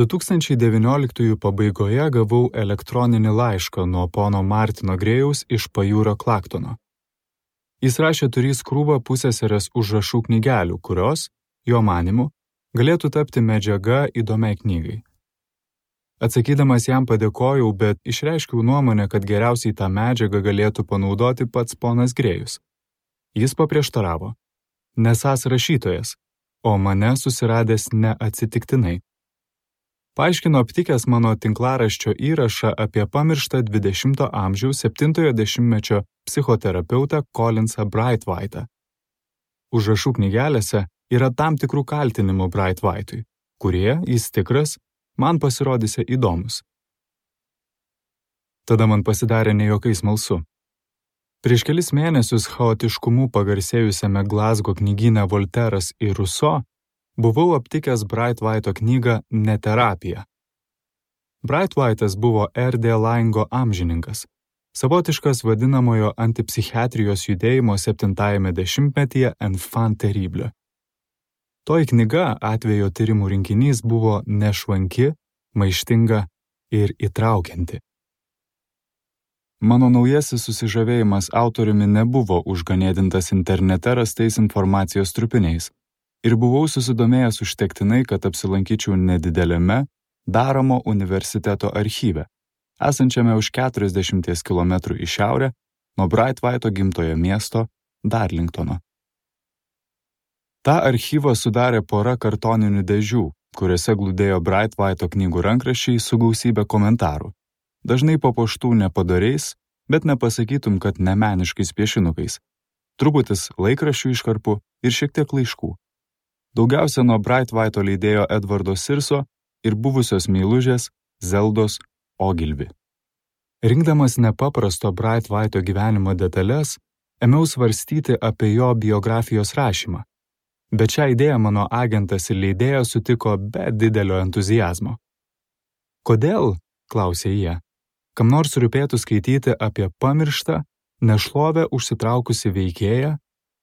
2019 pabaigoje gavau elektroninį laišką nuo pono Martino Grėjaus iš pajūrio Klaktono. Jis rašė turys krūvą pusseserės užrašų knygelių, kurios, jo manymu, galėtų tapti medžiaga įdomiai knygai. Atsakydamas jam padėkojau, bet išreiškiau nuomonę, kad geriausiai tą medžiagą galėtų panaudoti pats ponas Grėjus. Jis paprieštaravo, nesąs rašytojas, o mane susiradęs neatsitiktinai. Paaiškino aptikęs mano tinklaraščio įrašą apie pamirštą 20 amžiaus 70-ojo dešimtmečio psichoterapeutą Collinsą Braithwaite'ą. Užrašų knygelėse yra tam tikrų kaltinimų Braithwaite'ui, kurie, jis tikras, man pasirodėsi įdomus. Tada man pasidarė nejokai smalsu. Prieš kelis mėnesius chaotiškumu pagarsėjusiame Glasgow knygyne Volteras ir Rousseau buvau aptikęs Braithwaite'o knygą Neterapija. Braithwaite'as buvo R.D. Laingo amžininkas, savotiškas vadinamojo antipsichiatrijos judėjimo 7-ajame dešimtmetyje enfant terrible. Toji knyga, atvejo tyrimų rinkinys, buvo nešvanki, maištinga ir įtraukianti. Mano naujasis susižavėjimas autoriumi nebuvo užganėdintas internete rastais informacijos trupiniais ir buvau susidomėjęs užtektinai, kad apsilankyčiau nedideliame Daramo universiteto archyve, esančiame už 40 km į šiaurę nuo Braithwaite'o gimtojo miesto Darlingtono. Ta archyvą sudarė pora kartoninių dėžių, kuriuose glūdėjo Braithwaite'o knygų rankraščiai su gausybė komentarų, dažnai papuoštų nepadoriais, bet nepasakytum, kad nemeniškais piešinukais, truputis laikraščių iškarpų ir šiek tiek laiškų. Daugiausia nuo Braithwaite'o leidėjo Edvardo Sirso ir buvusios meilužės Zeldos Ogilvy. Rinkdamas nepaprasto Braithwaite'o gyvenimo detalės, ėmiau svarstyti apie jo biografijos rašymą, bet šią idėją mano agentas ir leidėjas sutiko be didelio entuziazmo. Kodėl, klausė jie, kam nors rūpėtų skaityti apie pamirštą, nešlovę užsitraukusi veikėją,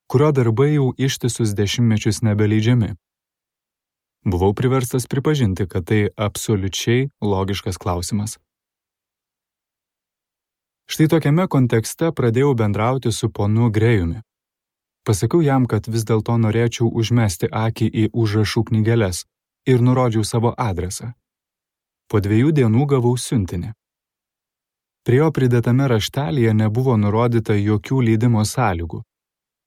kurio darbai jau ištisus dešimtmečius nebeleidžiami. Buvau priverstas pripažinti, kad tai absoliučiai logiškas klausimas. Štai tokiame kontekste pradėjau bendrauti su ponu Grėjumi. Pasakiau jam, kad vis dėlto norėčiau užmesti akį į užrašų knygeles ir nurodžiau savo adresą. Po 2 dienų gavau siuntinį. Prie jo pridėtame raštelyje nebuvo nurodyta jokių leidimo sąlygų.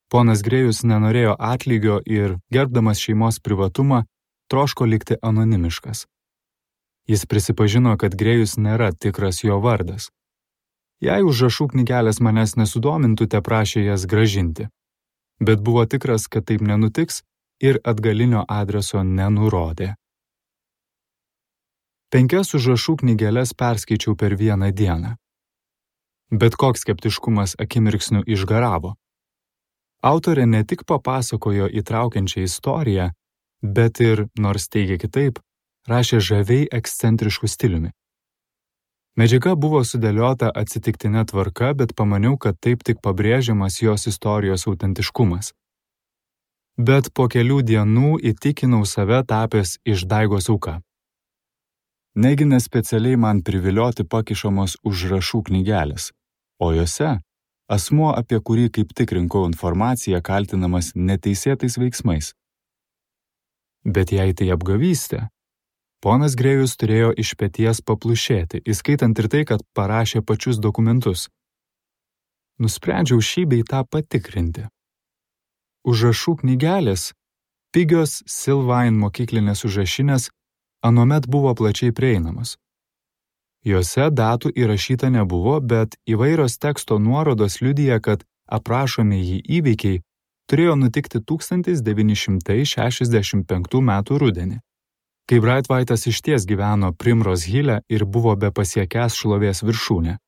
Ponas Grėjus nenorėjo atlygio ir, gerbdamas šeimos privatumą, troško likti anonimiškas. Jis prisipažino, kad Grėjus nėra tikras jo vardas. Jei užrašų knygelės manęs nesudomintų, teprašė jas gražinti. Bet buvo tikras, kad taip nenutiks ir atgalinio adreso nenurodė. 5 užrašų knygeles perskaičiau per vieną dieną. Bet koks skeptiškumas akimirksniu išgaravo. Autorė ne tik papasakojo įtraukiančią istoriją, bet ir, nors teigia kitaip, rašė žaviai ekscentrišku stiliumi. Medžiaga buvo sudėliota atsitiktinė tvarka, bet pamaniau, kad taip tik pabrėžiamas jos istorijos autentiškumas. Bet po kelių dienų įtikinau save tapęs išdaigos auka. Negi nespecialiai man privilioti pakišamos užrašų knygelės, o jose asmuo, apie kurį kaip tik rinkau informaciją, kaltinamas neteisėtais veiksmais. Bet jei tai apgavystė, ponas Grėjus turėjo iš peties paplušėti, įskaitant ir tai, kad parašė pačius dokumentus. Nusprendžiau šį bei tą patikrinti. Užrašų knygelės, pigios Sylvain mokyklinės užrašinės, anuomet buvo plačiai prieinamos. Jose datų įrašyta nebuvo, bet įvairios teksto nuorodos liudija, kad aprašomieji įvykiai turėjo nutikti 1965 metų rudenį, kai Braithwaite'as išties gyveno Primrose Hill'e ir buvo be pasiekęs šlovės viršūnę.